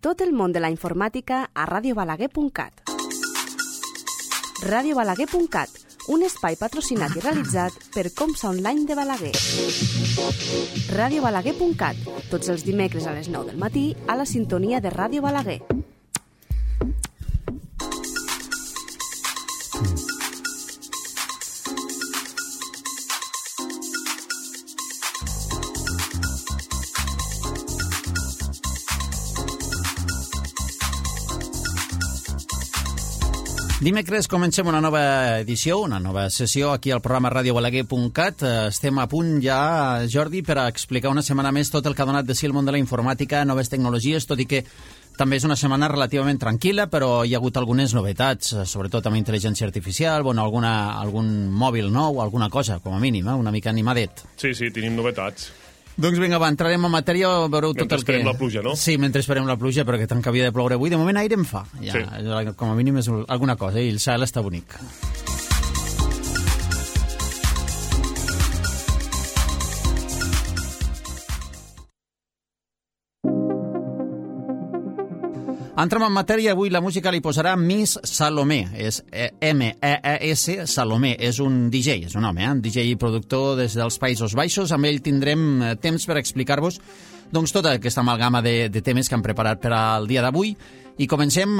Tot el món de la informàtica a radiobalaguer.cat. Radiobalaguer.cat, un espai patrocinat i realitzat per Comsa Online de Balaguer. Radiobalaguer.cat, tots els dimecres a les 9 del matí a la sintonia de Ràdio Balaguer. Dimecres comencem una nova edició, una nova sessió aquí al programa radiobalaguer.cat. Estem a punt ja, Jordi, per a explicar una setmana més tot el que ha donat de si el món de la informàtica, noves tecnologies, tot i que també és una setmana relativament tranquil·la, però hi ha hagut algunes novetats, sobretot amb intel·ligència artificial, bueno, algun mòbil nou, alguna cosa, com a mínim, una mica animadet. Sí, tenim novetats. Doncs vinga, va, entrarem en matèria, veureu tot el que... Mentre esperem la pluja, no? Sí, mentre esperem la pluja, perquè tant que havia de ploure avui. De moment aire en fa, ja, sí. Com a mínim és alguna cosa, i el cel està bonic. Entrem en matèria, avui la música li posarà Miss Salomé, és M-E-E-S, Salomé, és un DJ, és un home, un DJ i productor des dels Països Baixos. Amb ell tindrem temps per explicar-vos doncs, tota aquesta amalgama de temes que han preparat per al dia d'avui. I comencem,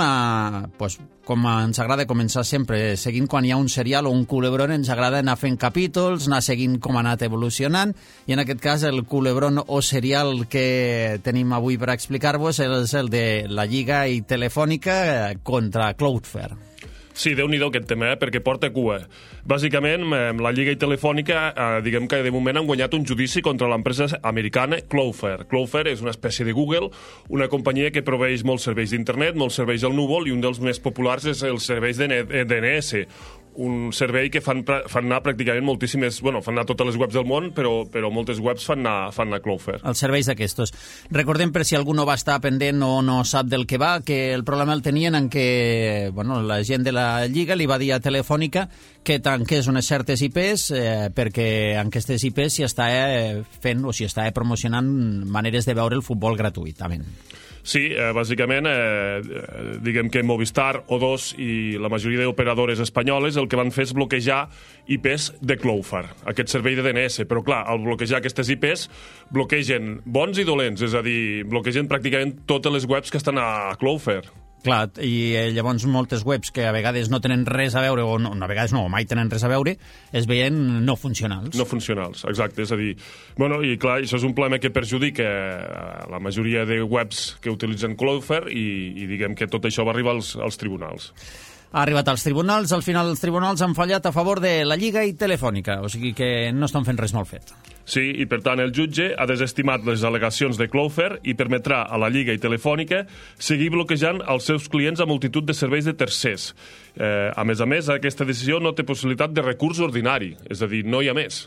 com ens agrada començar sempre, seguint quan hi ha un serial o un culebron, ens agrada anar fent capítols, anar seguint com ha anat evolucionant, i en aquest cas el culebron o serial que tenim avui per explicar-vos és el de la Lliga i Telefònica contra Cloudflare. Sí, Déu-n'hi-do aquest tema, perquè porta cua. Bàsicament, la Lliga i Telefònica, diguem que de moment han guanyat un judici contra l'empresa americana Cloudflare. Cloudflare és una espècie de Google, una companyia que proveeix molts serveis d'internet, molts serveis al núvol, i un dels més populars és els serveis de DNS, un servei que fan anar pràcticament moltíssimes... Bueno, fan anar totes les webs del món, però moltes webs fan anar Cloudflare. Els serveis d'aquestos. Recordem, per si algú no va estar pendent o no sap del que va, que el problema el tenien en què la gent de la Lliga li va dir a Telefònica que tanqués unes certes IPs perquè en aquestes IPs s'hi està fent o s'hi està promocionant maneres de veure el futbol gratuïtament. Sí, bàsicament, diguem que Movistar, O2 i la majoria d'operadores espanyoles el que van fer és bloquejar IPs de Cloudflare, aquest servei de DNS. Però, clar, al bloquejar aquestes IPs, bloquegen bons i dolents, és a dir, bloquegen pràcticament totes les webs que estan a Cloudflare. Clar, i llavors moltes webs que a vegades no tenen res a veure, o no, a vegades no, mai tenen res a veure, es veien no funcionals. No funcionals, exacte. És a dir, bueno, i clar, això és un problema que perjudica la majoria de webs que utilitzen Cloudflare i diguem que tot això va arribar als tribunals. Ha arribat als tribunals, al final els tribunals han fallat a favor de la Lliga i Telefònica, o sigui que no estan fent res molt fet. Sí, i per tant el jutge ha desestimat les al·legacions de Cloudflare i permetrà a la Lliga i Telefònica seguir bloquejant els seus clients a multitud de serveis de tercers. A més, aquesta decisió no té possibilitat de recurs ordinari, és a dir, no hi ha més.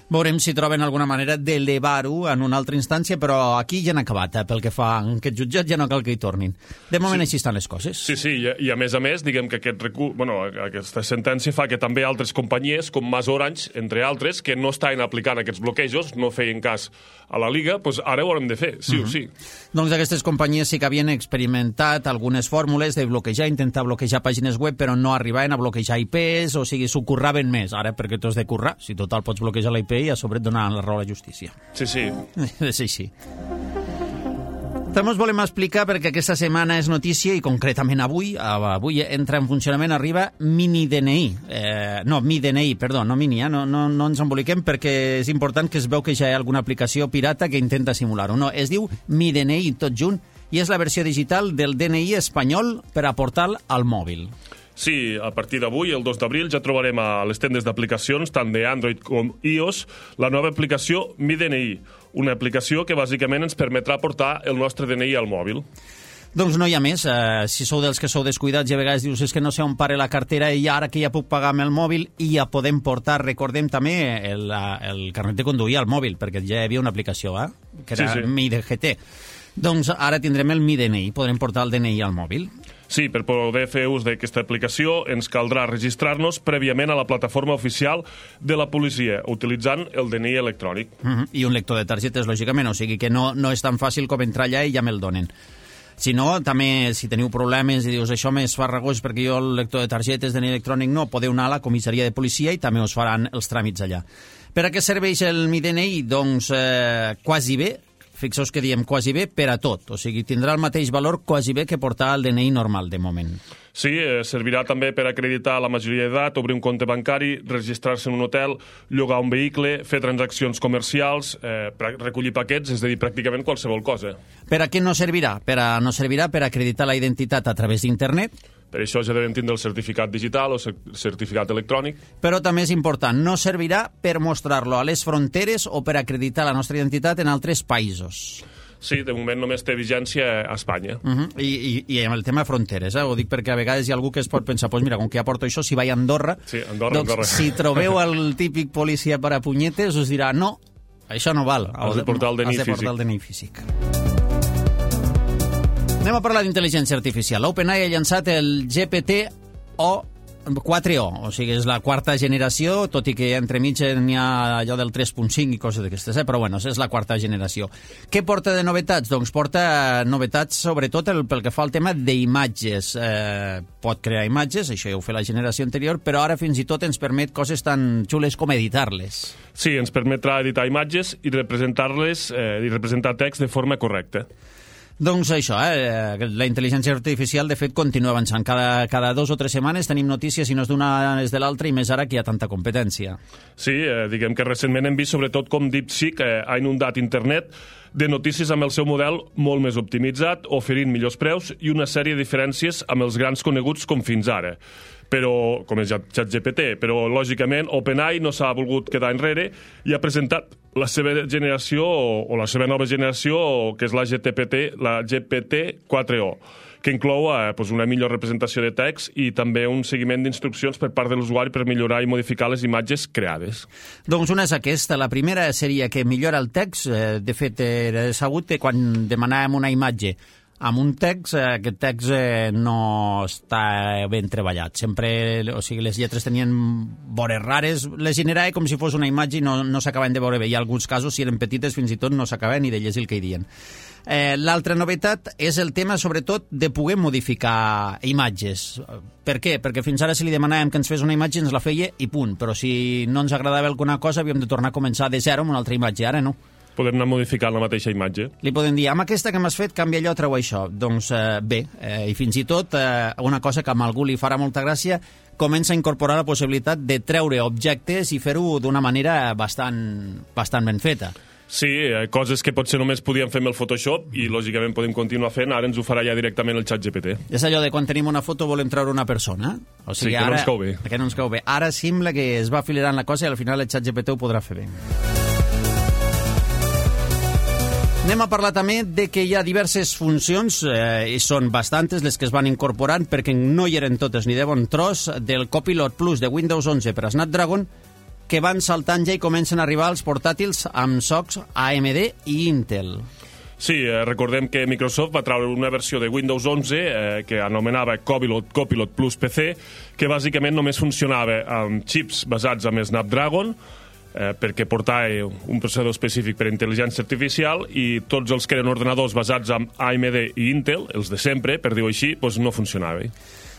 Veurem si troben alguna manera d'elevar-ho en una altra instància, però aquí ja han acabat, pel que fa a aquest jutjat ja no cal que hi tornin. De moment així estan les coses. Sí, i a més, diguem que aquesta sentència fa que també altres companyies, com Mas Orange, entre altres, que no estaven aplicant aquests bloquejos, no feien cas a la Liga, doncs ara ho haurem de fer, sí o sí. Doncs aquestes companyies sí que havien experimentat algunes fórmules de bloquejar, intentar bloquejar pàgines web, però no arribaven a bloquejar IPs, o sigui, s'ho curraven més. Ara, perquè tu has de currar, si total pots bloquejar la IP i a sobre et donen la raó a la justícia. Sí. És així. També us volem explicar, perquè aquesta setmana és notícia, i concretament avui entra en funcionament, arriba MiDNI. MiDNI, perdó, no Mini, no ens emboliquem, perquè és important que es veu que ja hi ha alguna aplicació pirata que intenta simular-ho. No, es diu MiDNI tot junt, i és la versió digital del DNI espanyol per a portar al mòbil. Sí, a partir d'avui, el 2 d'abril, ja trobarem a les tendes d'aplicacions, tant d'Android com iOS, la nova aplicació MiDNI, una aplicació que bàsicament ens permetrà portar el nostre DNI al mòbil. Doncs no hi ha més. Si sou dels que sou descuidats i a vegades dius és que no sé on pare la cartera i ara que ja puc pagar amb el mòbil i ja podem portar, recordem també, el carnet de conduir al mòbil, perquè ja hi havia una aplicació, que era MiDGT. Doncs ara tindrem el MiDNI, podrem portar el DNI al mòbil. Sí, per poder fer ús d'aquesta aplicació ens caldrà registrar-nos prèviament a la plataforma oficial de la policia, utilitzant el DNI electrònic. I un lector de targetes, lògicament, o sigui que no és tan fàcil com entrar allà i ja me'l donen. Si no, també, si teniu problemes i dius això m'és farragós perquè jo el lector de targetes DNI electrònic no, podeu anar a la comissaria de policia i també us faran els tràmits allà. Per a què serveix el Mi DNI? Doncs quasi bé, fixeu-vos que diem quasi bé per a tot, o sigui, tindrà el mateix valor quasi bé que portar el DNI normal de moment. Sí, servirà també per acreditar la majoria d'edat, obrir un compte bancari, registrar-se en un hotel, llogar un vehicle, fer transaccions comercials, recollir paquets, és a dir, pràcticament qualsevol cosa. Per a què no servirà? No servirà per acreditar la identitat a través d'internet. Per això ja devem tindre el certificat digital o certificat electrònic. Però també és important, no servirà per mostrar-lo a les fronteres o per acreditar la nostra identitat en altres països. Sí, de moment només té vigència a Espanya. I amb el tema fronteres, ho dic perquè a vegades hi ha algú que es pot pensar, pues mira, com que ja porto això, si vaig a Andorra, sí, Andorra. Si trobeu el típic policia per a punyetes, us dirà, no, això no val. Has de portar el DNI físic. Anem a parlar d'intel·ligència artificial. OpenAI ha llançat el GPT-4o, o sigui, és la quarta generació, tot i que entremig n'hi ha allò del 3.5 i coses d'aquestes, però bueno, és la quarta generació. Què porta de novetats? Doncs porta novetats sobretot pel que fa al tema d'imatges. Pot crear imatges, això ja ho fa la generació anterior, però ara fins i tot ens permet coses tan xules com editar-les. Sí, ens permetrà editar imatges i representar-les i representar text de forma correcta. Doncs això, la intel·ligència artificial, de fet, continua avançant. Cada 2 o 3 setmanes tenim notícies, si no és d'una és de l'altra, i més ara que hi ha tanta competència. Sí, diguem que recentment hem vist sobretot com DeepSeek ha inundat internet de notícies amb el seu model molt més optimitzat, oferint millors preus i una sèrie de diferències amb els grans coneguts com fins ara. Però, com és ChatGPT, però lògicament OpenAI no s'ha volgut quedar enrere i ha presentat la seva generació o la seva nova generació, que és la GPT-4o, que inclou una millor representació de text i també un seguiment d'instruccions per part de l'usuari per millorar i modificar les imatges creades. Doncs una és aquesta. La primera seria que millora el text. De fet, era sabut que quan demanàvem una imatge amb un text, aquest text no està ben treballat. Sempre, o sigui, les lletres tenien vores rares, les generava com si fos una imatge i no s'acaben de veure bé. Hi ha alguns casos, si eren petites, fins i tot no s'acaben ni de llegir el que hi diuen. L'altra novetat és el tema, sobretot, de poder modificar imatges. Per què? Perquè fins ara si li demanàvem que ens fes una imatge ens la feia i punt, però si no ens agradava alguna cosa havíem de tornar a començar de zero amb una altra imatge. Ara no. Podem anar modificant la mateixa imatge. Li podem dir, amb aquesta que m'has fet, canvia allò, treu això. Doncs bé, i fins i tot una cosa que a algú li farà molta gràcia, comença a incorporar la possibilitat de treure objectes i fer-ho d'una manera bastant ben feta. Sí, coses que potser només podíem fer amb el Photoshop i lògicament podem continuar fent, ara ens ho farà ja directament el ChatGPT. És allò de quan tenim una foto volem treure una persona. O sigui, sí, que no ens cau bé. Que no ens cau bé. Ara sembla que es va afilerant la cosa i al final el ChatGPT ho podrà fer bé. Anem a parlar també de que hi ha diverses funcions, i són bastantes les que es van incorporant, perquè no hi eren totes ni de bon tros, del Copilot Plus de Windows 11 per a Snapdragon, que van saltant ja i comencen a arribar als portàtils amb socs AMD i Intel. Sí, recordem que Microsoft va treure una versió de Windows 11 que anomenava Copilot Plus PC, que bàsicament només funcionava amb xips basats en Snapdragon, perquè portava un processador específic per a intel·ligència artificial i tots els que eren ordenadors basats en AMD i Intel, els de sempre, per dir-ho així, doncs no funcionava.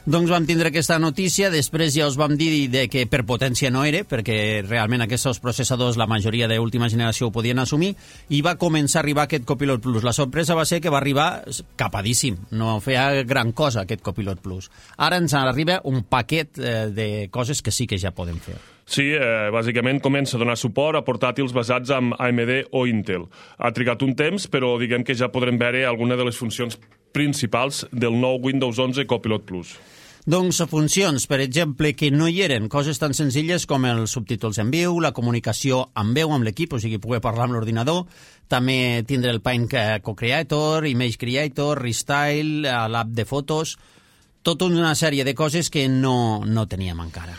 Doncs vam tindre aquesta notícia, després ja us vam dir que per potència no era, perquè realment aquests processadors la majoria d'última generació ho podien assumir, i va començar a arribar aquest Copilot Plus. La sorpresa va ser que va arribar capadíssim, no feia gran cosa aquest Copilot Plus. Ara ens arriba un paquet de coses que sí que ja podem fer. Sí, bàsicament comença a donar suport a portàtils basats en AMD o Intel. Ha trigat un temps, però diguem que ja podrem veure alguna de les funcions principals del nou Windows 11 Copilot Plus. Doncs funcions, per exemple, que no hi eren, coses tan senzilles com els subtítols en viu, la comunicació amb veu amb l'equip, o sigui, poder parlar amb l'ordinador, també tindre el Paint Co-Creator, Image Creator, Restyle, l'app de fotos, tota una sèrie de coses que no teníem encara.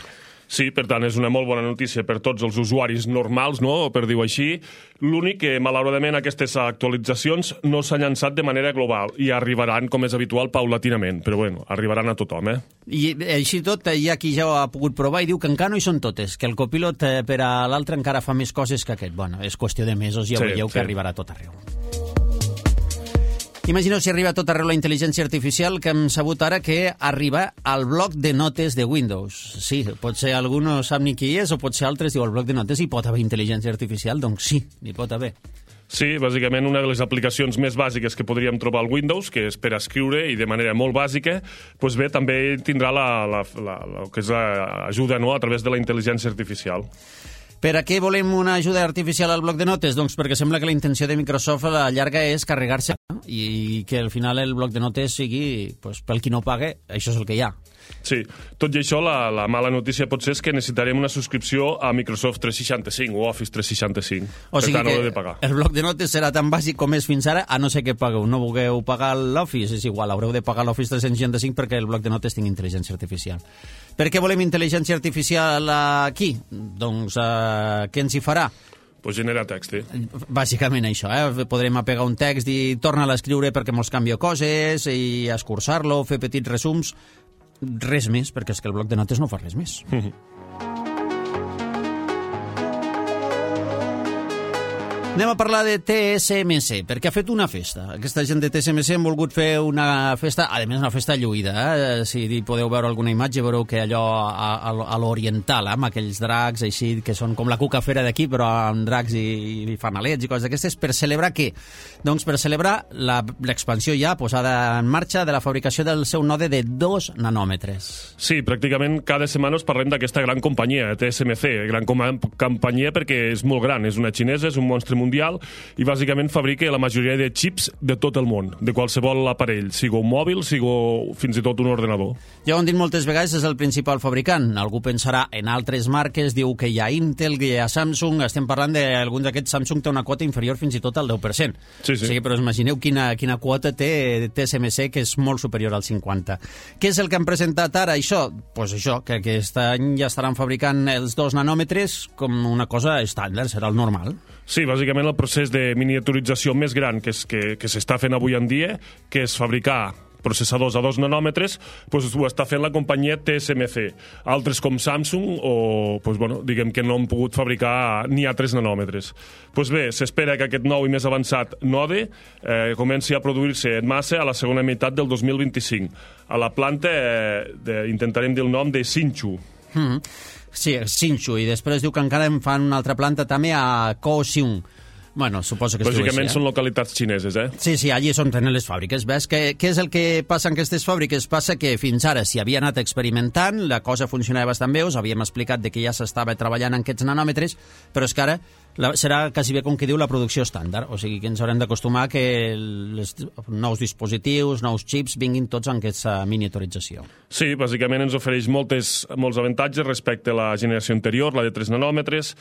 Sí, per tant, és una molt bona notícia per tots els usuaris normals, no?, per dir-ho així. L'únic que, malauradament, aquestes actualitzacions no s'han llançat de manera global i arribaran, com és habitual, paulatinament. Però, bueno, arribaran a tothom, I així tot, hi ha qui ja ho ha pogut provar i diu que encara no hi són totes, que el copilot per a l'altre encara fa més coses que aquest. Bueno, és qüestió de mesos, ja veieu que arribarà a tot arreu. Imagineu si arriba a tot arreu la intel·ligència artificial, que hem sabut ara que arriba al bloc de notes de Windows. Sí, potser algú no sap ni qui és, o potser altres diu, al bloc de notes hi pot haver intel·ligència artificial? Doncs sí, hi pot haver. Sí, bàsicament una de les aplicacions més bàsiques que podríem trobar al Windows, que és per escriure i de manera molt bàsica, doncs bé, també tindrà que és l'ajuda, no?, a través de la intel·ligència artificial. Per a què volem una ajuda artificial al bloc de notes? Doncs perquè sembla que la intenció de Microsoft a la llarga és carregar-se i que al final el bloc de notes sigui, doncs, pel qui no pague, això és el que hi ha. Sí, tot i això, la mala notícia potser és que necessitarem una subscripció a Microsoft 365 o Office 365. O sigui per tant, que ho he de pagar. El bloc de notes serà tan bàsic com és fins ara, a no ser que pagueu. No vulgueu pagar l'Office, és igual, haureu de pagar l'Office 365 perquè el bloc de notes tingui intel·ligència artificial. Per què volem intel·ligència artificial aquí? Doncs què ens hi farà? Pues genera text, Bàsicament això, podrem apegar un text i tornar a escriure perquè mos canvia coses i escurçar-lo, fer petits resums, res més, perquè és que el bloc de notes no fa res més. Anem a parlar de TSMC, perquè ha fet una festa. Aquesta gent de TSMC han volgut fer una festa, a més una festa lluïda. Si podeu veure alguna imatge, veureu que allò a l'oriental, amb aquells dracs així, que són com la cucafera d'aquí, però amb dracs i fanalets i coses d'aquestes. Per celebrar què? Doncs per celebrar l'expansió ja posada en marxa de la fabricació del seu node de 2 nanòmetres. Sí, pràcticament cada setmana us parlem d'aquesta gran companyia, TSMC, gran companyia perquè és molt gran, és una xinesa, és un monstre mundial i bàsicament fabrica la majoria de xips de tot el món, de qualsevol aparell, sigui un mòbil, sigui fins i tot un ordenador. Ja ho han dit moltes vegades, és el principal fabricant. Algú pensarà en altres marques, diu que hi ha Intel, que hi ha Samsung, estem parlant d'alguns d'aquests. Samsung té una quota inferior fins i tot al 10%. Sí. O sigui, però imagineu quina quota té TSMC, que és molt superior al 50%. Què és el que han presentat ara? Això? Doncs això, que aquest any ja estaran fabricant els 2 nanòmetres com una cosa estàndard, serà el normal. Sí, bàsicament el procés de miniaturització més gran que s'està fent avui en dia, que és fabricar processadors a 2 nanòmetres, doncs ho està fent la companyia TSMC. Altres com Samsung diguem que no han pogut fabricar ni a 3 nanòmetres. Doncs bé, s'espera que aquest nou i més avançat node comenci a produir-se en massa a la segona meitat del 2025. A la planta intentarem dir el nom de Hsinchu. Sí, Hsinchu, i després diu que encara en fan una altra planta també a Kaohsiung. Bueno, suposo que es diu així, bàsicament són localitats xineses, Sí, allí és on tenen les fàbriques. Ves? Què és el que passa en aquestes fàbriques? Passa que fins ara s'hi havia anat experimentant, la cosa funcionava bastant bé, us havíem explicat que ja s'estava treballant en aquests nanòmetres, però és que ara serà quasi bé com que diu la producció estàndard, o sigui que ens haurem d'acostumar que els nous dispositius, nous xips, vinguin tots en aquesta miniaturització. Sí, bàsicament ens ofereix molts avantatges respecte a la generació anterior, la de 3 nanòmetres,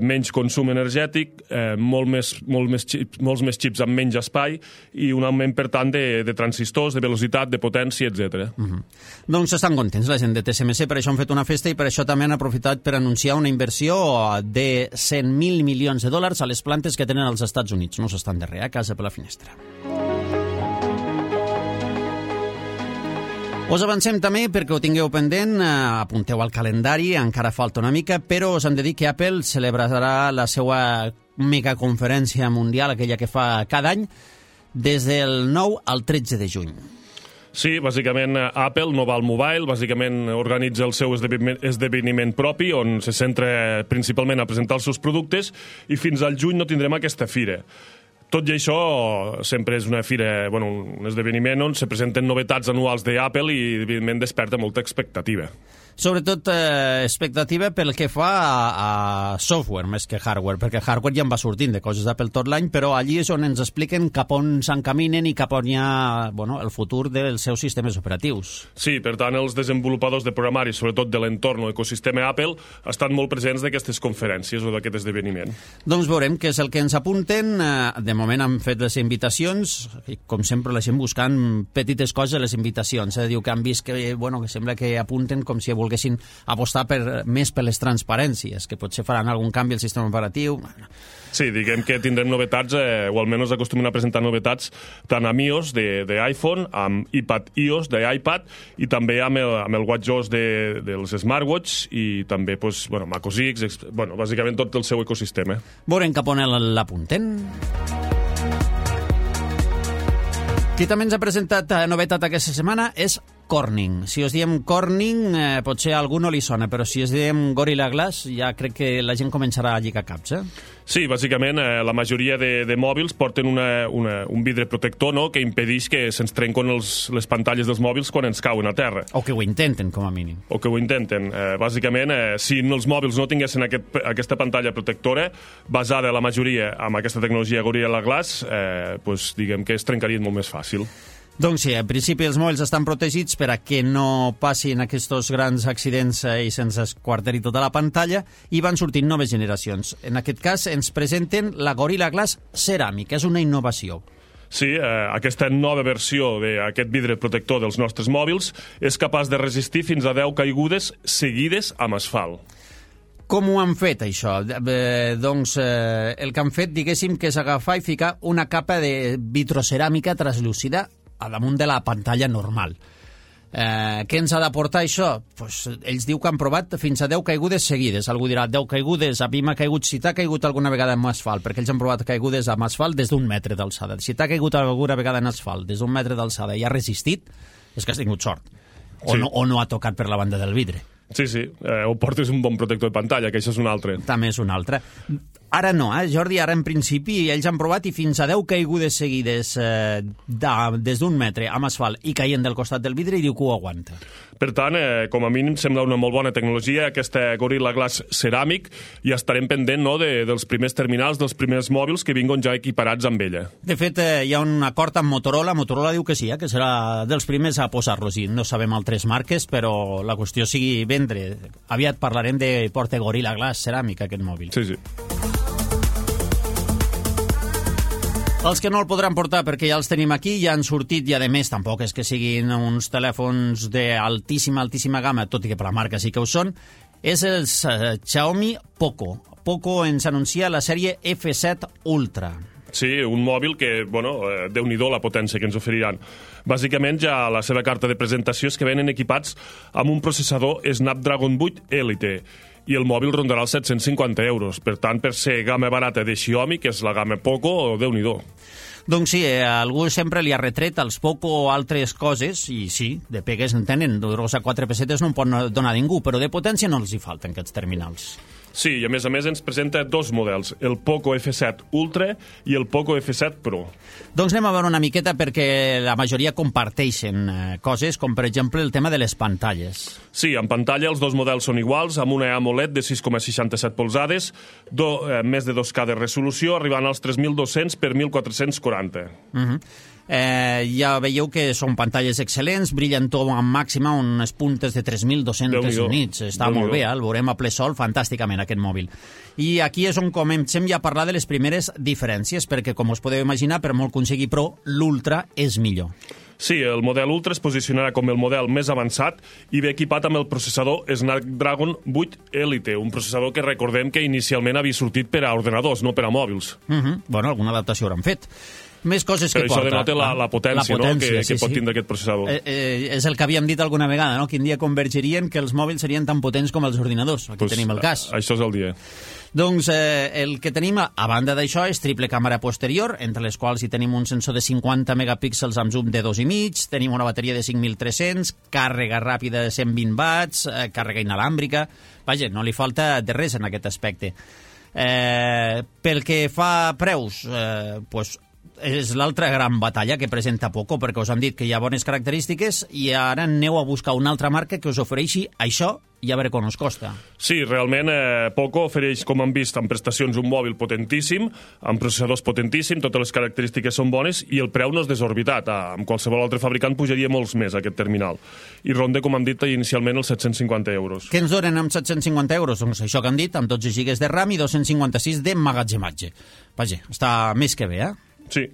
menys consum energètic, molts més xips amb menys espai i un augment, per tant, de transistors, de velocitat, de potència, etc. Doncs estan contents la gent de TSMC, per això han fet una festa i per això també han aprofitat per anunciar una inversió de 100.000 milions de dòlars a les plantes que tenen als Estats Units. No s'estan darrere, a casa per la finestra. Us avancem també, perquè ho tingueu pendent, apunteu al calendari, encara falta una mica, però us hem de dir que Apple celebrarà la seva megaconferència mundial, aquella que fa cada any, des del 9 al 13 de juny. Sí, bàsicament Apple no va al mobile, bàsicament organitza el seu esdeveniment propi, on se centra principalment a presentar els seus productes, i fins al juny no tindrem aquesta fira. Tot i això, sempre és una fira, un esdeveniment on se presenten novetats anuals d'Apple i, evidentment, desperta molta expectativa. Sobretot expectativa pel que fa a software més que hardware, perquè hardware ja en va sortint de coses d'Apple tot l'any, però allí és on ens expliquen cap on s'encaminen i cap on hi ha el futur dels seus sistemes operatius. Sí, per tant, els desenvolupadors de programari, sobretot de l'entorn o ecosistema Apple, estan molt presents d'aquestes conferències o d'aquest esdeveniment. Doncs veurem què és el que ens apunten. De moment han fet les invitacions, i com sempre la gent buscant petites coses a les invitacions. Diu que han vist que sembla que apunten com si volguessin apostar més per les transparències, que potser faran algun canvi al sistema operatiu. Sí, diguem que tindrem novetats, o almenys acostumen a presentar novetats, tant amb iOS d'iPhone, amb iPad iOS d'iPad, i també amb el WatchOS dels smartwatch, i també Mac OS X, bàsicament tot el seu ecosistema. Veurem cap on l'apunten. Qui també ens ha presentat novetat aquesta setmana és Corning. Si us diem Corning, potser a algú no li sona, però si us diem Gorilla Glass, ja crec que la gent començarà a lligar caps, Sí, bàsicament, la majoria de mòbils porten un vidre protector, no?, que impedeix que se'ns trenquen les pantalles dels mòbils quan ens cauen a terra. O que ho intenten, com a mínim. O que ho intenten. Bàsicament, si els mòbils no tinguessin aquesta pantalla protectora, basada la majoria amb aquesta tecnologia Gorilla Glass, diguem que es trencarien molt més fàcil. Doncs sí, en principi els mòbils estan protegits per a que no passin aquests grans accidents i se'ns esquarteri tota la pantalla, i van sortint noves generacions. En aquest cas ens presenten la Gorilla Glass ceràmic, és una innovació. Sí, aquesta nova versió d'aquest vidre protector dels nostres mòbils és capaç de resistir fins a 10 caigudes seguides amb asfalt. Com ho han fet, això? Doncs el que han fet, diguéssim, que és agafar i ficar una capa de vitroceràmica translúcida a damunt de la pantalla normal. Què ens ha d'aportar això? Ells diu que han provat fins a 10 caigudes seguides. Algú dirà, 10 caigudes, a mi m'ha caigut, si t'ha caigut alguna vegada en asfalt, perquè ells han provat caigudes amb asfalt des d'1 metre d'alçada. Si t'ha caigut alguna vegada en asfalt des d'1 metre d'alçada i ha resistit, és que has tingut sort. O no ha tocat per la banda del vidre. Sí, o portes un bon protector de pantalla, que això és un altre. També és un altre. Ara no, Jordi, ara en principi ells han provat i fins a 10 caigudes seguides des d'1 metre amb asfalt i caient del costat del vidre, i diu que ho aguanta. Per tant, com a mínim, sembla una molt bona tecnologia, aquesta Gorilla Glass ceràmic, i estarem pendent, no?, dels primers terminals, dels primers mòbils que vinguin ja equiparats amb ella. De fet, hi ha un acord amb Motorola. Motorola diu que sí, que serà dels primers a posar-los, i no sabem altres marques, però la qüestió sigui vendre. Aviat parlarem de porta Gorilla Glass ceràmic, aquest mòbil. Sí. Els que no el podran portar perquè ja els tenim aquí, ja han sortit, i a més tampoc és que siguin uns telèfons d'altíssima gamma, tot i que per la marca sí que ho són, és el Xiaomi Poco. Poco ens anuncia la sèrie F7 Ultra. Sí, un mòbil que, déu-n'hi-do la potència que ens oferiran. Bàsicament, ja la seva carta de presentació és que venen equipats amb un processador Snapdragon 8 Elite, i el mòbil rondarà els 750 euros. Per tant, per ser gamma barata de Xiaomi, que és la gamma Poco, déu-n'hi-do. Doncs sí, algú sempre li ha retret als Poco o altres coses, i sí, de pegues en tenen, a 4 pessetes no en pot donar ningú, però de potència no els hi falten aquests terminals. Sí, i a més ens presenta dos models, el Poco F7 Ultra i el Poco F7 Pro. Doncs anem a veure una miqueta, perquè la majoria comparteixen coses, com per exemple el tema de les pantalles. Sí, en pantalla els dos models són iguals, amb una AMOLED de 6,67 polzades, més de 2K de resolució, arribant als 3.200 per 1.440. Ja veieu que són pantalles excel·lents, brillantor en màxima, unes puntes de 3.200 nits. Està molt bé, el veurem a ple sol fantàsticament, aquest mòbil. I aquí és on comencem ja a parlar de les primeres diferències, perquè, com us podeu imaginar, per molt que un sigui Pro, l'Ultra és millor. Sí, el model Ultra es posicionarà com el model més avançat i ve equipat amb el processador Snapdragon 8 Elite, un processador que recordem que inicialment havia sortit per a ordenadors, no per a mòbils. Bueno, alguna adaptació hauran fet. Més coses que porta. Però això denota la potència, no?, que pot tindre aquest processador. És el que havíem dit alguna vegada, no?, quin dia convergirien que els mòbils serien tan potents com els ordinadors. Aquí tenim el cas. Això és el dia. Doncs el que tenim, a banda d'això, és triple càmera posterior, entre les quals hi tenim un sensor de 50 megapíxels amb zoom de 2,5, tenim una bateria de 5.300, càrrega ràpida de 120 watts, càrrega inalàmbrica. Vaja, no li falta de res en aquest aspecte. Pel que fa a preus, és l'altra gran batalla que presenta Poco, perquè us hem dit que hi ha bones característiques i ara aneu a buscar una altra marca que us ofereixi això i a veure com us costa. Sí, realment Poco ofereix, com hem vist, en prestacions un mòbil potentíssim, amb processadors potentíssim, totes les característiques són bones i el preu no és desorbitat. Amb qualsevol altre fabricant pujaria molts més aquest terminal. I ronda, com hem dit, inicialment els 750 euros. Què ens donen amb 750 euros? Doncs això que han dit, amb 12 GB de RAM i 256 de magatzematge. Vaja, està més que bé, Sí.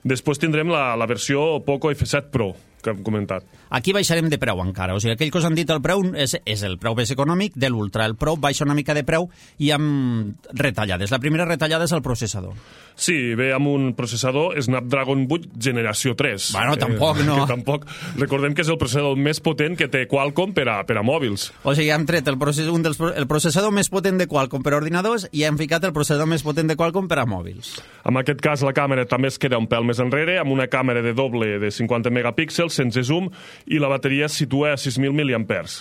Després tindrem la versió Poco F7 Pro, que hem comentat. Aquí baixarem de preu encara, o sigui, aquell que us han dit el preu és el preu més econòmic de l'Ultra. El Pro baixa una mica de preu i amb retallades. La primera retallada és el processador. Sí, ve amb un processador Snapdragon 8 generació 3. Bueno, tampoc, no. Tampoc. Recordem que és el processador més potent que té Qualcomm per a mòbils. O sigui, hem tret el processador més potent de Qualcomm per a ordinadors i hem ficat el processador més potent de Qualcomm per a mòbils. En aquest cas, la càmera també es queda un pèl més enrere, amb una càmera de doble de 50 megapíxels, sense zoom, i la bateria es situa a 6.000 mAh.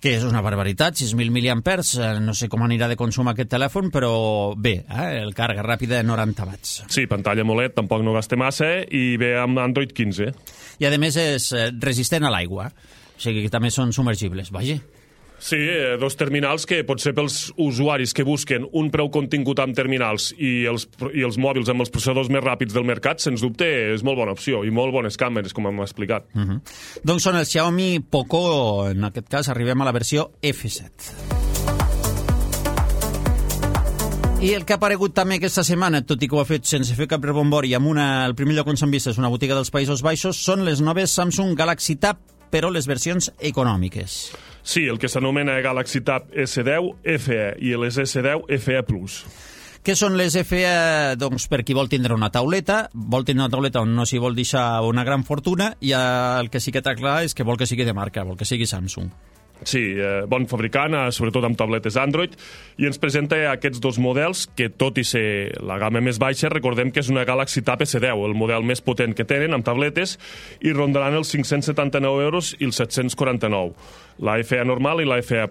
Que és una barbaritat, 6.000 mAh, no sé com anirà de consum aquest telèfon, però bé, el càrrega ràpida de 90 watts. Sí, pantalla AMOLED, tampoc no gasta massa, i ve amb Android 15. I a més és resistent a l'aigua, o sigui que també són submergibles, vaja. Sí, dos terminals que potser pels usuaris que busquen un preu contingut amb terminals i els mòbils amb els processadors més ràpids del mercat, sens dubte és molt bona opció i molt bones càmeres, com hem explicat. Doncs són el Xiaomi Poco, en aquest cas arribem a la versió F7. I el que ha aparegut també aquesta setmana, tot i que ho ha fet sense fer cap rebombori, amb el primer lloc on s'han vist és una botiga dels Països Baixos, són les noves Samsung Galaxy Tab, però les versions econòmiques. Sí, el que s'anomena Galaxy Tab S10 FE i les S10 FE+. Què són les FE? Doncs per qui vol tindre una tauleta on no s'hi vol deixar una gran fortuna, i el que sí que està clar és que vol que sigui de marca, vol que sigui Samsung. Sí, bon fabricant, sobretot amb tabletes Android, i ens presenta aquests dos models que, tot i ser la gamma més baixa, recordem que és una Galaxy Tab S10, el model més potent que tenen amb tabletes, i rondaran els 579 euros i els 749, la FE normal i la FE+.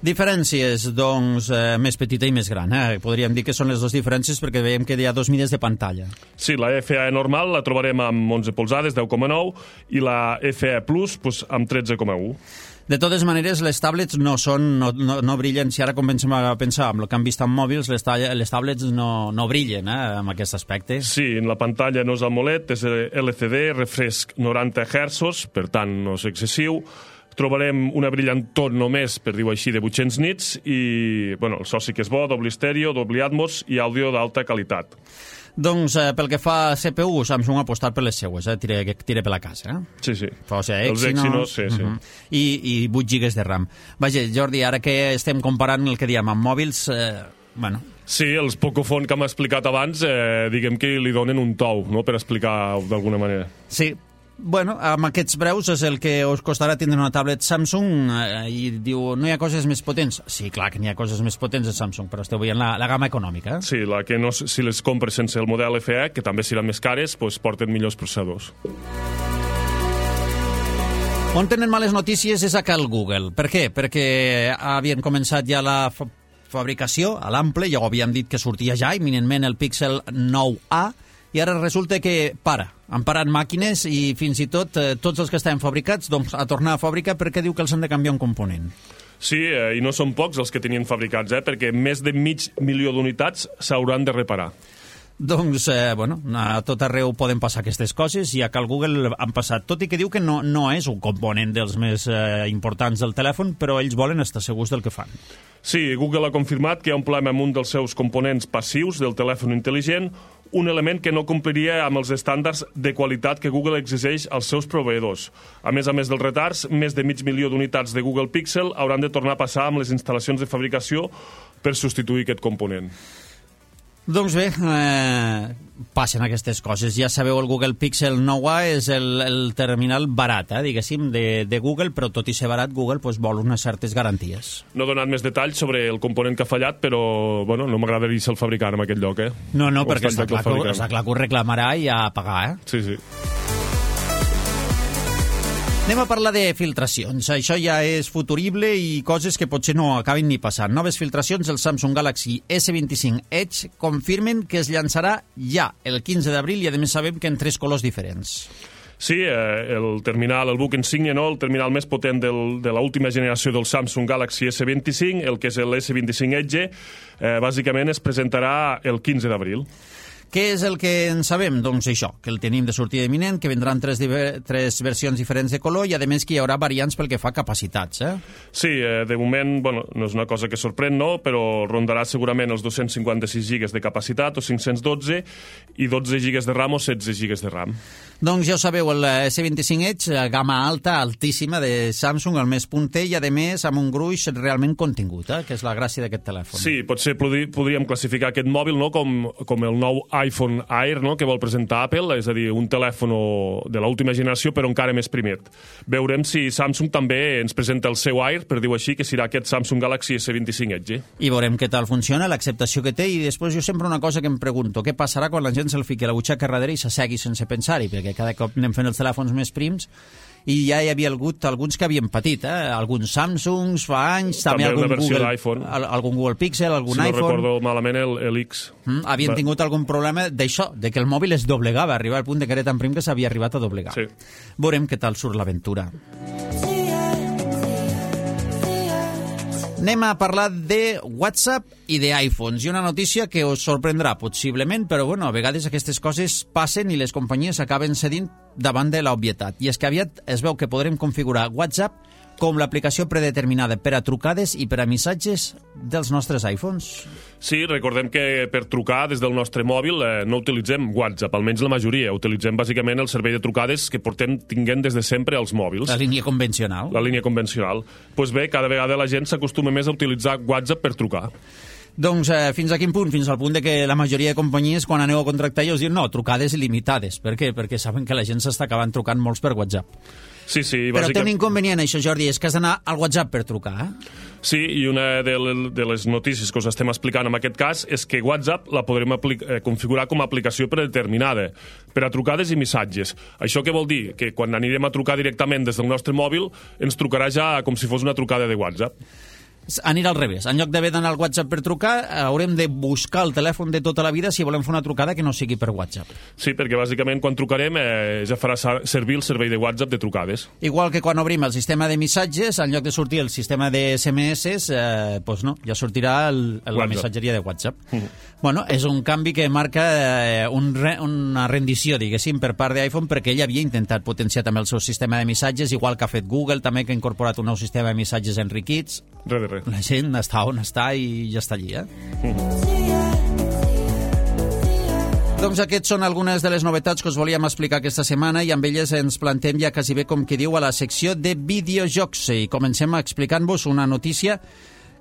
Diferències, doncs, més petita i més gran. Podríem dir que són les dues diferències perquè veiem que hi ha dos mides de pantalla. Sí, la FE normal la trobarem amb 11 polzades, 10,9, i la FE Plus amb 13,1. De totes maneres, les tablets no brillen. Si ara comencem a pensar amb el que han vist amb mòbils, les tablets no brillen amb aquest aspecte. Sí, la pantalla no és AMOLED, és LCD, refresc 90 Hz, per tant no és excessiu. Trobarem una brillantor només, per dir-ho així, de 800 nits, i el so sí que és bo, doble estèreo, doble Atmos i àudio d'alta qualitat. Doncs pel que fa a CPU, Samsung ha apostat per les seues, tira per la casa. Sí. Els Exynos, sí. I 8 GB de RAM. Vaja, Jordi, ara que estem comparant el que diem amb mòbils, Sí, els Pocophone que hem explicat abans, diguem que li donen un tou, no?, per explicar d'alguna manera. Sí. Amb aquests preus és el que us costarà tindre una tablet Samsung, i diu, no hi ha coses més potents? Sí, clar que n'hi ha coses més potents de Samsung, però esteu veient la gamma econòmica. Sí, la que no, si les compres sense el model FE, que també seran més cares, porten millors processadors. On tenen males notícies és a cal Google. Per què? Perquè havien començat ja la fabricació a l'ample, ja ho havíem dit que sortia ja imminentment el Pixel 9a, i ara resulta que han parat màquines i fins i tots els que estaven fabricats a tornar a fàbrica perquè diu que els han de canviar un component. Sí, i no són pocs els que tenien fabricats, perquè més de 500.000 d'unitats s'hauran de reparar. Doncs, a tot arreu poden passar aquestes coses, i a cal Google han passat, tot i que diu que no és un component dels més importants del telèfon, però ells volen estar segurs del que fan. Sí, Google ha confirmat que hi ha un problema amb un dels seus components passius del telèfon intel·ligent, un element que no compliria amb els estàndards de qualitat que Google exigeix als seus proveïdors. A més dels retards, més de 500.000 d'unitats de Google Pixel hauran de tornar a passar amb les instal·lacions de fabricació per substituir aquest component. Doncs bé, passen aquestes coses. Ja sabeu, el Google Pixel 9a és el terminal barat, diguéssim, de Google, però tot i ser barat, Google vol unes certes garanties. No he donat més detalls sobre el component que ha fallat, però no m'agradaria ser el fabricant en aquest lloc. No, perquè està clar que ho reclamarà i a pagar. Sí. Anem a parlar de filtracions. Això ja és futurible i coses que potser no acaben ni passant. Noves filtracions del Samsung Galaxy S25 Edge confirmen que es llançarà ja el 15 d'abril, i a més sabem que en 3 colors diferents. Sí, el terminal, el buc insígnia, el terminal més potent de l'última generació del Samsung Galaxy S25, el que és el S25 Edge, bàsicament es presentarà el 15 d'abril. Què és el que en sabem? Doncs això, que el tenim de sortida imminent, que vendran tres versions diferents de color i, a més, que hi haurà variants pel que fa a capacitats. Sí, de moment, no és una cosa que sorprèn, no? Però rondarà segurament els 256 gigas de capacitat o 512 i 12 gigas de RAM o 16 gigas de RAM. Doncs ja ho sabeu, el S25 Edge, gamma alta, altíssima, de Samsung, el més punter i, a més, amb un gruix realment contingut, que és la gràcia d'aquest telèfon. Sí, potser podríem classificar aquest mòbil, no?, com el nou iPhone Air, no?, que vol presentar Apple, és a dir, un telèfon de l'última generació però encara més primet. Veurem si Samsung també ens presenta el seu Air, per dir-ho així, que serà aquest Samsung Galaxy S25 Edge. I veurem què tal funciona, l'acceptació que té, i després jo sempre una cosa que em pregunto, què passarà quan la gent se'l fiqui a la butxaca darrere i s'assegui sense pensar-hi, perquè cada cop anem fent els telèfons més prims i ja hi havia hagut alguns que havien patit, alguns Samsungs fa anys, també algun Google, algun Google Pixel, algun iPhone. Si no recordo malament, el X. Havien tingut algun problema d'això, de que el mòbil es doblegava, arribar al punt de que era tan prim que s'havia arribat a doblegar. Sí. Veurem què tal surt l'aventura. Anem a parlar de WhatsApp i d'iPhones. I una notícia que us sorprendrà, possiblement, però a vegades aquestes coses passen i les companyies acaben cedint davant de l'obvietat. I és que aviat es veu que podrem configurar WhatsApp com l'aplicació predeterminada per a trucades i per a missatges dels nostres iPhones. Sí, recordem que per trucar des del nostre mòbil no utilitzem WhatsApp, almenys la majoria. Utilitzem bàsicament el servei de trucades que portem tinguent des de sempre als mòbils. La línia convencional. La línia convencional. Doncs bé, cada vegada la gent s'acostuma més a utilitzar WhatsApp per trucar. Doncs fins a quin punt? Fins al punt de que la majoria de companyies, quan aneu a contractar, us diuen no, trucades limitades. Per què? Perquè saben que la gent s'està acabant trucant molts per WhatsApp. Sí, Però té un inconvenient, això, Jordi, és que has d'anar al WhatsApp per trucar. Sí, i una de les notícies que us estem explicant en aquest cas és que WhatsApp la podrem configurar com a aplicació predeterminada per a trucades i missatges. Això què vol dir? Que quan anirem a trucar directament des del nostre mòbil ens trucarà ja com si fos una trucada de WhatsApp. Anirà al revés. En lloc d'haver d'anar al WhatsApp per trucar, haurem de buscar el telèfon de tota la vida si volem fer una trucada que no sigui per WhatsApp. Sí, perquè bàsicament quan trucarem ja farà servir el servei de WhatsApp de trucades. Igual que quan obrim el sistema de missatges, en lloc de sortir el sistema de SMS, doncs no, ja sortirà la missatgeria de WhatsApp. Bueno, és un canvi que marca una rendició, diguéssim, per part d'iPhone, perquè ell havia intentat potenciar també el seu sistema de missatges, igual que ha fet Google, també, que ha incorporat un nou sistema de missatges enriquits. Res. La gent està on està i ja està allí, Doncs aquests són algunes de les novetats que us volíem explicar aquesta setmana i amb elles ens plantem ja quasi bé, com que diu, a la secció de videojocs. I comencem explicant-vos una notícia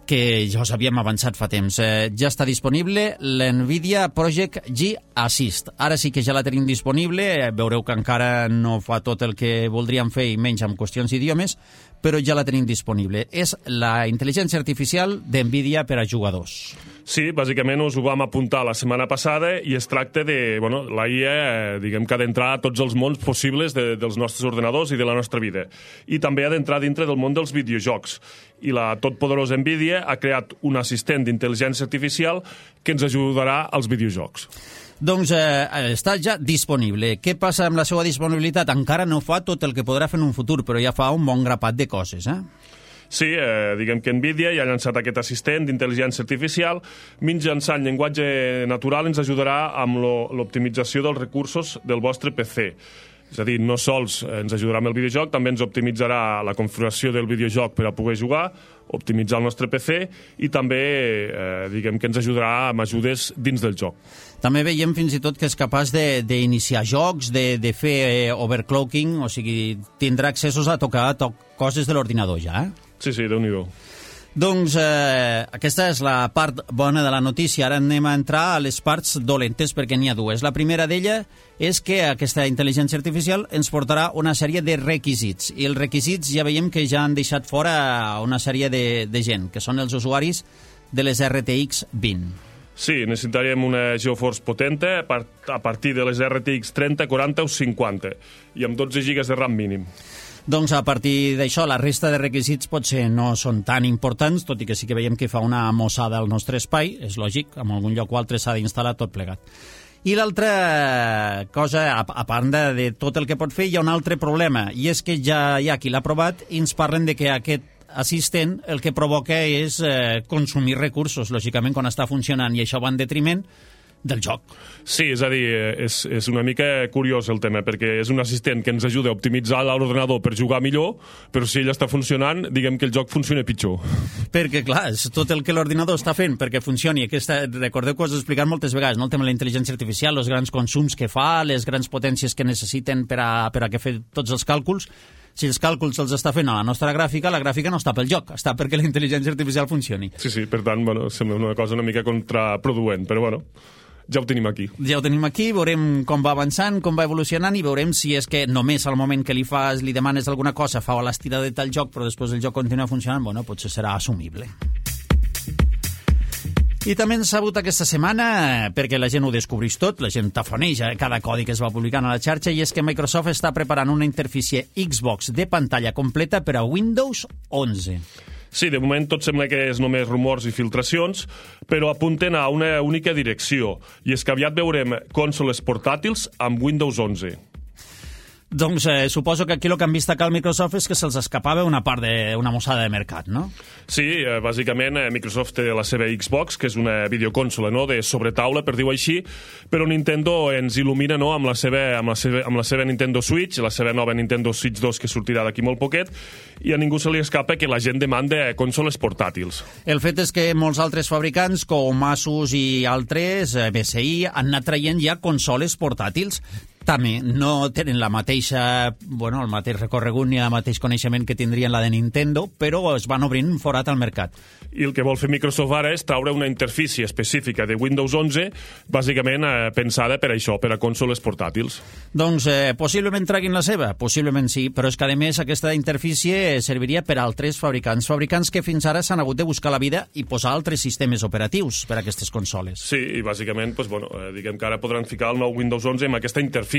que ja us havíem avançat fa temps. Ja està disponible l'NVIDIA Project G Assist. Ara sí que ja la tenim disponible, veureu que encara no fa tot el que voldríem fer i menys amb qüestions d'idiomes, però ja la tenim disponible. És la intel·ligència artificial d'NVIDIA per a jugadors. Sí, bàsicament us ho vam apuntar la setmana passada i es tracta de, la IA, diguem que ha d'entrar a tots els mons possibles dels nostres ordenadors i de la nostra vida. I també ha d'entrar dintre del món dels videojocs. I la totpoderosa NVIDIA ha creat un assistent d'intel·ligència artificial que ens ajudarà als videojocs. Doncs està ja disponible. Què passa amb la seva disponibilitat? Encara no fa tot el que podrà fer en un futur, però ja fa un bon grapat de coses, Sí, diguem que NVIDIA ja ha llançat aquest assistent d'intel·ligència artificial. Mitjançant llenguatge natural ens ajudarà amb l'optimització dels recursos del vostre PC. És a dir, no sols ens ajudarà amb el videojoc, també ens optimitzarà la configuració del videojoc per a poder jugar, optimitzar el nostre PC i també, diguem que ens ajudarà amb ajudes dins del joc. També veiem fins i tot que és capaç d'iniciar jocs, de fer overclocking, o sigui, tindrà accessos a tocar coses de l'ordinador ja, Sí, Déu-n'hi-do. Doncs aquesta és la part bona de la notícia. Ara anem a entrar a les parts dolentes, perquè n'hi ha dues. La primera d'ella és que aquesta intel·ligència artificial ens portarà una sèrie de requisits. I els requisits ja veiem que ja han deixat fora una sèrie de gent, que són els usuaris de les RTX 20. Sí, necessitaríem una GeForce potente a partir de les RTX 30, 40 o 50 i amb 12 GB de RAM mínim. Doncs a partir d'això, la resta de requisits potser no són tan importants, tot i que sí que veiem que fa una mossada al nostre espai, és lògic, en algun lloc o altre s'ha d'instal·lar tot plegat. I l'altra cosa, a part de tot el que pot fer, hi ha un altre problema, i és que ja hi ha qui l'ha provat i ens parlen de que aquest assistent el que provoca és consumir recursos, lògicament, quan està funcionant, i això va en detriment del joc. Sí, és a dir, és una mica curiós el tema, perquè és un assistent que ens ajuda a optimitzar l'ordenador per jugar millor, però si ell està funcionant, diguem que el joc funciona pitjor. Perquè, clar, és tot el que l'ordinador està fent perquè funcioni. Recordeu que us he explicat moltes vegades, no? El tema de la intel·ligència artificial, els grans consums que fa, les grans potències que necessiten per a que fer tots els càlculs. Si els càlculs els està fent a la nostra gràfica, la gràfica no està pel joc, està perquè la intel·ligència artificial funcioni. Sí, per tant, sembla una cosa una mica contraproduent, però ja ho tenim aquí. Ja ho tenim aquí, veurem com va avançant, com va evolucionant i veurem si és que només al moment que li demanes alguna cosa fa l'estirada del joc, però després el joc continua funcionant, potser serà assumible. I també hem sabut aquesta setmana, perquè la gent ho descobreix tot, la gent tafoneja cada codi que es va publicant a la xarxa, i és que Microsoft està preparant una interfície Xbox de pantalla completa per a Windows 11. Sí, de moment tot sembla que és només rumors i filtracions, però apunten a una única direcció, i és que aviat veurem consoles portàtils amb Windows 11. Doncs suposo que aquí el que han vist acá al Microsoft és que se'ls escapava una part d'una mossada de mercat, no? Sí, bàsicament Microsoft té la seva Xbox, que és una videoconsola, no?, de sobretaula, per dir-ho així, però Nintendo ens il·lumina, no?, amb la seva Nintendo Switch, la seva nova Nintendo Switch 2 que sortirà d'aquí molt poquet, i a ningú se li escapa que la gent demanda consoles portàtils. El fet és que molts altres fabricants, com Asus i altres, MSI, han anat traient ja consoles portàtils. També no tenen el mateix recorregut ni el mateix coneixement que tindrien la de Nintendo, però es van obrint un forat al mercat. I el que vol fer Microsoft ara és traure una interfície específica de Windows 11, bàsicament pensada per això, per a consoles portàtils. Doncs possiblement treguin la seva, possiblement sí, però és que a més aquesta interfície serviria per a altres fabricants que fins ara s'han hagut de buscar la vida i posar altres sistemes operatius per a aquestes consoles. Sí, i bàsicament, diguem que ara podran ficar el nou Windows 11 amb aquesta interfície.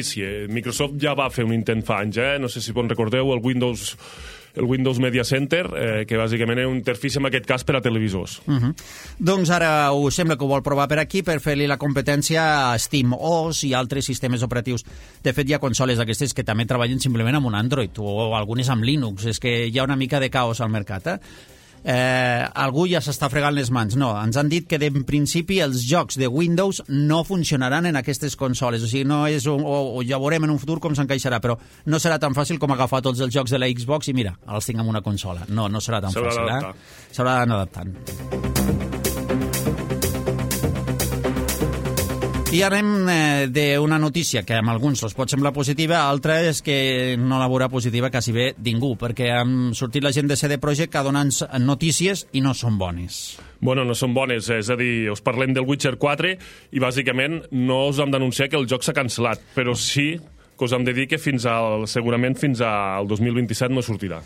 Microsoft ja va fer un intent fa anys, no sé si recordeu el Windows Media Center, que bàsicament era una interfície en aquest cas per a televisors. Doncs ara sembla que ho vol provar per aquí per fer-li la competència a SteamOS i altres sistemes operatius. De fet, hi ha consoles d'aquestes que també treballen simplement amb un Android o algunes amb Linux. És que hi ha una mica de caos al mercat, algú ja s'està fregant les mans. No, ens han dit que en principi els jocs de Windows no funcionaran en aquestes consoles, o sigui, no és o ja veurem en un futur com s'encaixarà, però no serà tan fàcil com agafar tots els jocs de la Xbox i mira, els tinc en una consola. No serà tan fàcil, s'haurà d'anar adaptant. I anem d'una notícia que amb alguns els pot semblar positiva, altra és que no la veurà positiva quasi bé ningú, perquè han sortit la gent de CD Projekt a donar notícies i no són bones. Bueno, no són bones, és a dir, us parlem del Witcher 4 i bàsicament no us hem d'anunciar que el joc s'ha cancel·lat, però sí que us hem de dir que segurament fins al 2027 no sortirà.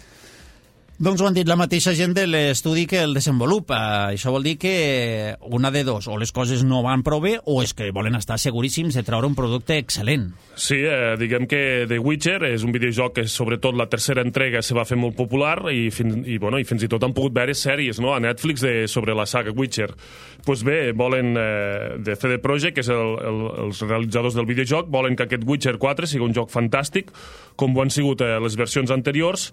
Doncs ho han dit la mateixa gent de l'estudi que el desenvolupa. Això vol dir que una de dos, o les coses no van prou bé, o és que volen estar seguríssims de treure un producte excel·lent. Sí, diguem que The Witcher és un videojoc que sobretot la tercera entrega se va fer molt popular i fins i tot han pogut veure sèries, no?, a Netflix sobre la saga Witcher. Doncs bé, volen de CD Projekt, que és els realitzadors del videojoc, volen que aquest Witcher 4 sigui un joc fantàstic, com ho han sigut les versions anteriors,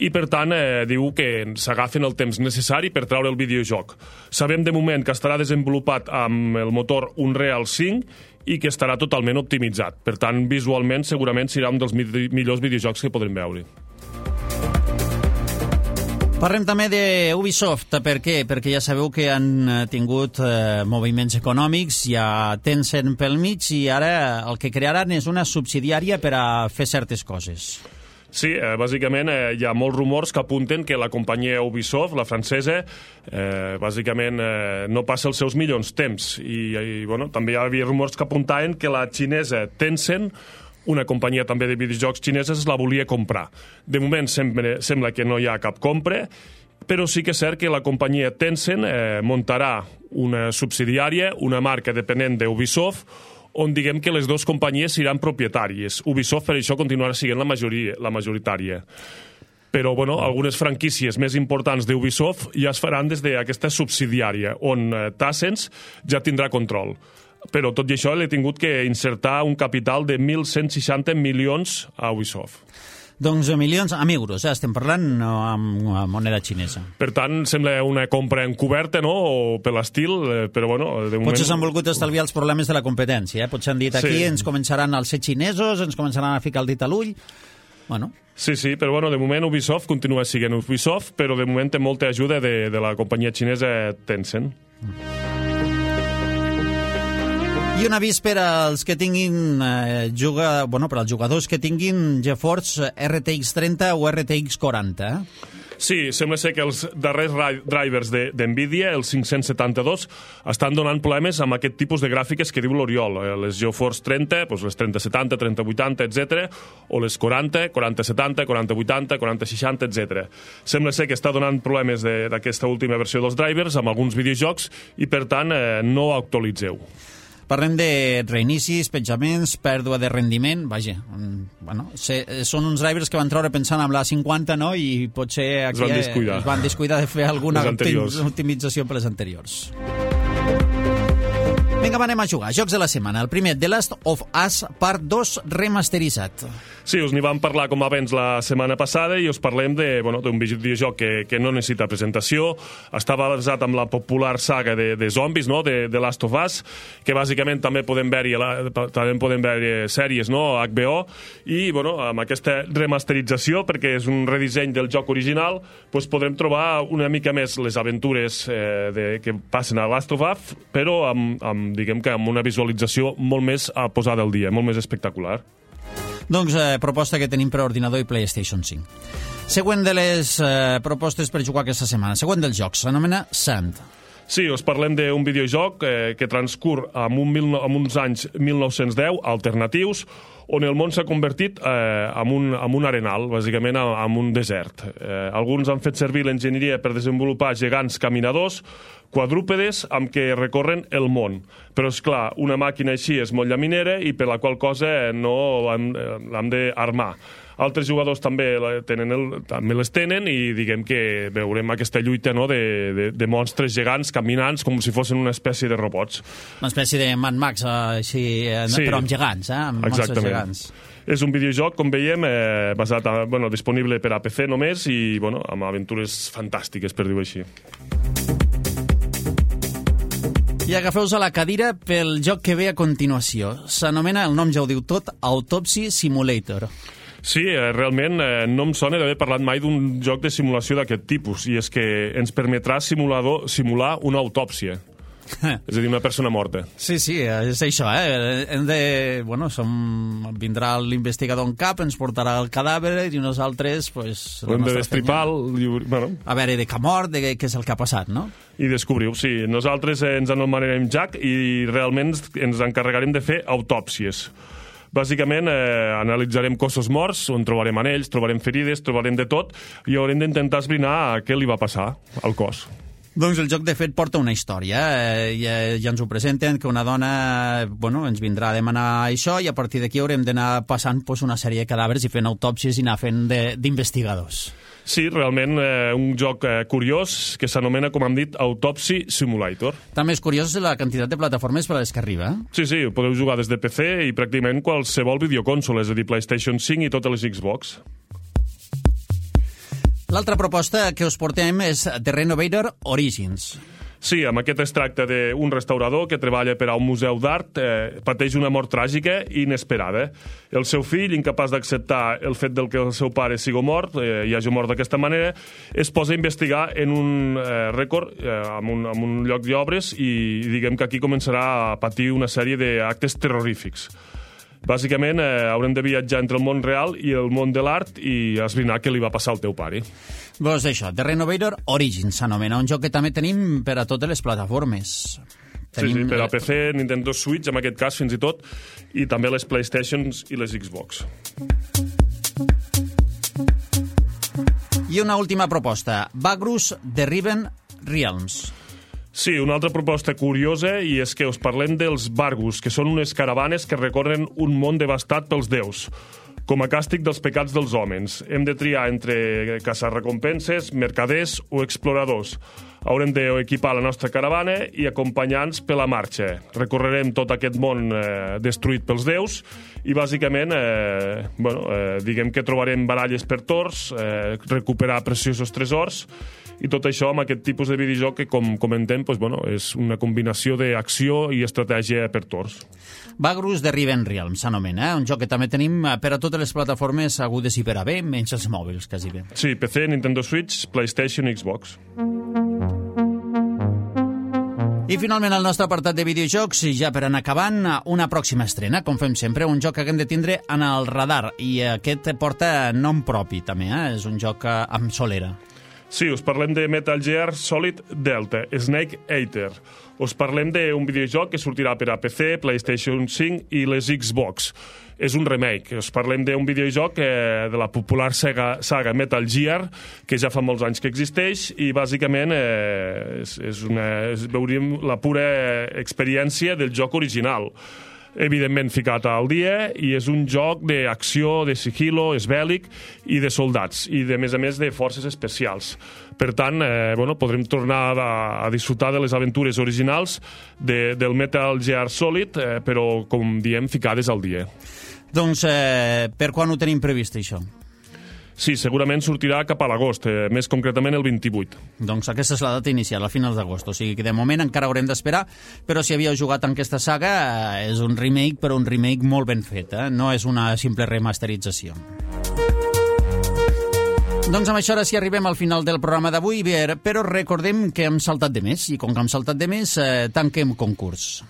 i per tant diu que s'agafen el temps necessari per treure el videojoc. Sabem de moment que estarà desenvolupat amb el motor Unreal 5 i que estarà totalment optimitzat. Per tant, visualment segurament serà un dels millors videojocs que podrem veure. Parlem també d'Ubisoft. Per què? Perquè ja sabeu que han tingut moviments econòmics, hi ha Tencent pel mig i ara el que crearan és una subsidiària per a fer certes coses. Sí, bàsicament hi ha molts rumors que apunten que la companyia Ubisoft, la francesa, bàsicament no passa els seus millors temps. I també hi havia rumors que apuntaven que la xinesa Tencent, una companyia també de videojocs xineses, la volia comprar. De moment sembla que no hi ha cap compra, però sí que és cert que la companyia Tencent muntarà una subsidiària, una marca dependent d'Ubisoft, on diguem que les dues companyies seran propietàries. Ubisoft per això continuarà sent la majoritària. Però algunes franquícies més importants d'Ubisoft ja es faran des d'aquesta subsidiària, on Tencent ja tindrà control. Però tot i això l'he tingut que insertar un capital de 1.160 milions a Ubisoft. Doncs milions, amb euros, estem parlant, no amb moneda xinesa. Per tant, sembla una compra encoberta, no?, o per l'estil, però bueno, de moment... Potser s'han volgut estalviar els problemes de la competència, Potser han dit aquí ens començaran a ser xinesos, ens començaran a ficar el dit a l'ull... Bueno. Sí, però bueno, de moment Ubisoft continua sent Ubisoft, però de moment té molta ajuda de la companyia xinesa Tencent. I un avís per als que tinguin per als jugadors que tinguin GeForce RTX 30 o RTX 40. Sí, sembla ser que els darrers drivers d'NVIDIA, els 572, estan donant problemes amb aquest tipus de gràfiques que diu l'Oriol. Les GeForce 30, doncs les 3070, 3080, etc., o les 40, 4070, 4080, 4060, etc. Sembla ser que està donant problemes d'aquesta última versió dels drivers amb alguns videojocs i, per tant, no actualitzeu. Parlem de reinicis, penjaments, pèrdua de rendiment, vaja, són uns drivers que van treure pensant amb la 50, no?, i potser aquí es van descuidar de fer alguna optimització per les anteriors. Vinga, anem a jugar. Jocs de la setmana. El primer, The Last of Us Part 2 remasteritzat. Sí, us n'hi vam parlar com abans la setmana passada i us parlem d'un videojoc que no necessita presentació. Estava basat en la popular saga de zombis, no?, de The Last of Us, que bàsicament també podem veure sèries, no?, HBO, i amb aquesta remasterització, perquè és un redisseny del joc original, podrem trobar una mica més les aventures que passen a Last of Us, però amb una visualització molt més posada al dia, molt més espectacular. Doncs proposta que tenim per ordinador i PlayStation 5. Següent de les propostes per jugar aquesta setmana. Següent dels jocs, s'anomena Sand. Sí, us parlem d'un videojoc que transcur en uns anys 1910 alternatius, on el món s'ha convertit en un arenal, bàsicament en un desert. Alguns han fet servir l'enginyeria per desenvolupar gegants caminadors, quadrúpedes amb què recorren el món. Però, és clar, una màquina així és molt llaminera i per la qual cosa no l'hem d'armar. Altres jugadors també les tenen i diguem que veurem aquesta lluita, no?, de monstres gegants caminants com si fossin una espècie de robots. Una espècie de Mad Max, així, sí, però amb gegants, amb monstres gegants. És un videojoc, com veiem, disponible per a PC només i amb aventures fantàstiques, per dir-ho així. I agafeu-vos a la cadira pel joc que ve a continuació. S'anomena, el nom ja ho diu tot, Autopsy Simulator. Sí, realment no em sona d'haver parlat mai d'un joc de simulació d'aquest tipus, i és que ens permetrà simular una autòpsia. És a dir, una persona morta. Sí, és això, Hem de... vindrà l'investigador en cap, ens portarà el cadàver i nosaltres, hem de destripar a veure de què ha mort, de què és el que ha passat, no? I descobriu, sí. Nosaltres ens anomenarem Jack i realment ens encarregarem de fer autòpsies. Bàsicament, analitzarem cossos morts, on trobarem anells, trobarem ferides, trobarem de tot, i haurem d'intentar esbrinar què li va passar al cos. Doncs el joc, de fet, porta una història. Ja ens ho presenten, que una dona ens vindrà a demanar això i a partir d'aquí haurem d'anar passant una sèrie de cadàvers i fent autòpsies i anar fent d'investigadors. Sí, realment un joc curiós que s'anomena, com hem dit, Autopsy Simulator. També és curiós la quantitat de plataformes per a les que arriba. Sí, podeu jugar des de PC i pràcticament qualsevol videoconsol, és a dir, PlayStation 5 i totes les Xbox. L'altra proposta que us portem és The Renovator Origins. Sí, amb aquest es tracta d'un restaurador que treballa per a un museu d'art, pateix una mort tràgica i inesperada. El seu fill, incapaç d'acceptar el fet que el seu pare sigui mort, i hagi mort d'aquesta manera, es posa a investigar en un rècord, en un lloc d'obres, i diguem que aquí començarà a patir una sèrie d'actes terrorífics. Bàsicament, haurem de viatjar entre el món real i el món de l'art i esbrinar què li va passar al teu pare. Doncs això, The Renovator Origins s'anomena, un joc que també tenim per a totes les plataformes. Sí, per a PC, Nintendo Switch, en aquest cas, fins i tot, i també les PlayStations i les Xbox. I una última proposta, Vagrus The Riven Realms. Sí, una altra proposta curiosa, i és que us parlem dels Vargus, que són unes caravanes que recorren un món devastat pels déus. com a càstig dels pecats dels homes. Hem de triar entre caçarrecompenses, mercaders o exploradors. Haurem d'equipar la nostra caravana i acompanyar-nos per la marxa. Recorrerem tot aquest món destruït pels déus i, bàsicament, diguem que trobarem baralles per torns, recuperar preciosos tresors, i tot això amb aquest tipus de videojoc que, com comentem, és una combinació d'acció i estratègia per torns. Vagrus de Riven Realms s'anomena, un joc que també tenim per a totes les plataformes agudes i per a bé, menys els mòbils, quasi bé. Sí, PC, Nintendo Switch, PlayStation i Xbox. I finalment el nostre apartat de videojocs, ja per anar acabant, una pròxima estrena, com fem sempre, un joc que haguem de tindre en el radar, i aquest porta nom propi també, és un joc amb solera. Sí, us parlem de Metal Gear Solid Delta, Snake Eater. Us parlem d'un videojoc que sortirà per a PC, PlayStation 5 i les Xbox. És un remake. Us parlem d'un videojoc de la popular saga Metal Gear, que ja fa molts anys que existeix, i bàsicament veuríem la pura experiència del joc original. Evidentment ficat al dia, i és un joc d'acció, de sigilo, és bèl·lic i de soldats, i a més de forces especials. Per tant, podrem tornar a disfrutar de les aventures originals del Metal Gear Solid, però, com diem, ficades al dia. Doncs per quan ho tenim previst, això? Sí, segurament sortirà cap a l'agost, més concretament el 28. Doncs aquesta és la data inicial, a finals d'agost. O sigui que de moment encara haurem d'esperar, però si havíeu jugat en aquesta saga, és un remake, però un remake molt ben fet, no és una simple remasterització. Doncs amb això ara sí arribem al final del programa d'avui, però recordem que hem saltat de més, i com que hem saltat de més, tanquem concurs.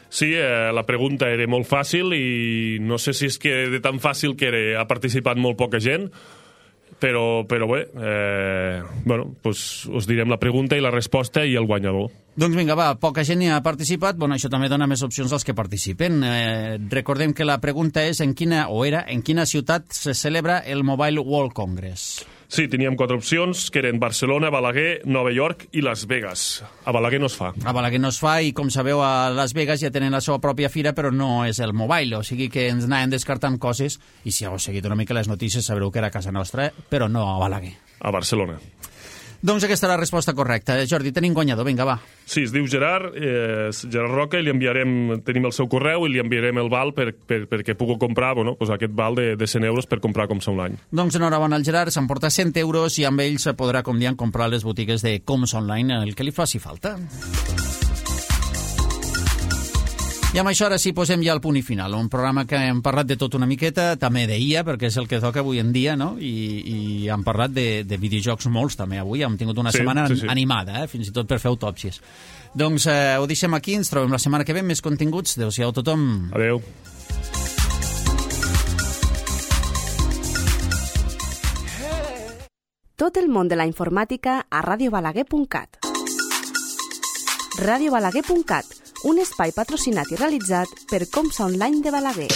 Sí, la pregunta era molt fàcil i no sé si és que de tan fàcil que ha participat molt poca gent, però bé, us direm la pregunta i la resposta i el guanyador. Doncs vinga, va, poca gent hi ha participat, això també dona més opcions als que participen. Recordem que la pregunta és en quina ciutat se celebra el Mobile World Congress. Sí, teníem 4 opcions, que eren Barcelona, Balaguer, Nova York i Las Vegas. A Balaguer no es fa. A Balaguer no es fa i, com sabeu, a Las Vegas ja tenen la seva pròpia fira, però no és el Mobile, o sigui que ens anàvem descartant coses, i si heu seguit una mica les notícies sabreu que era a casa nostra, però no a Balaguer. A Barcelona. Doncs aquesta és la resposta correcta. Jordi, tenim guanyador, vinga, va. Sí, es diu Gerard Roca, i tenim el seu correu i li enviarem el val perquè pugui comprar aquest val de 100 euros per comprar Comsa Online. Doncs enhorabona al Gerard, s'emporta 100 euros i amb ells podrà, com diem, comprar les botigues de Comsa Online el que li faci falta. I amb això ara sí posem ja el punt i final, un programa que hem parlat de tot una miqueta, també d'IA, perquè és el que toca avui en dia, no? I hem parlat de videojocs molts també avui, hem tingut una setmana animada, fins i tot per fer autòpsies. Doncs ho deixem aquí, ens trobem la setmana que ve, més continguts, adéu-siau a tothom. Adéu. Tot el món de la informàtica a radiobalaguer.cat. radiobalaguer.cat, un espai patrocinat i realitzat per Comsa Online de Balaguer.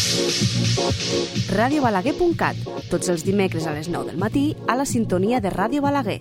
radiobalaguer.cat, tots els dimecres a les 9 del matí a la sintonia de Ràdio Balaguer.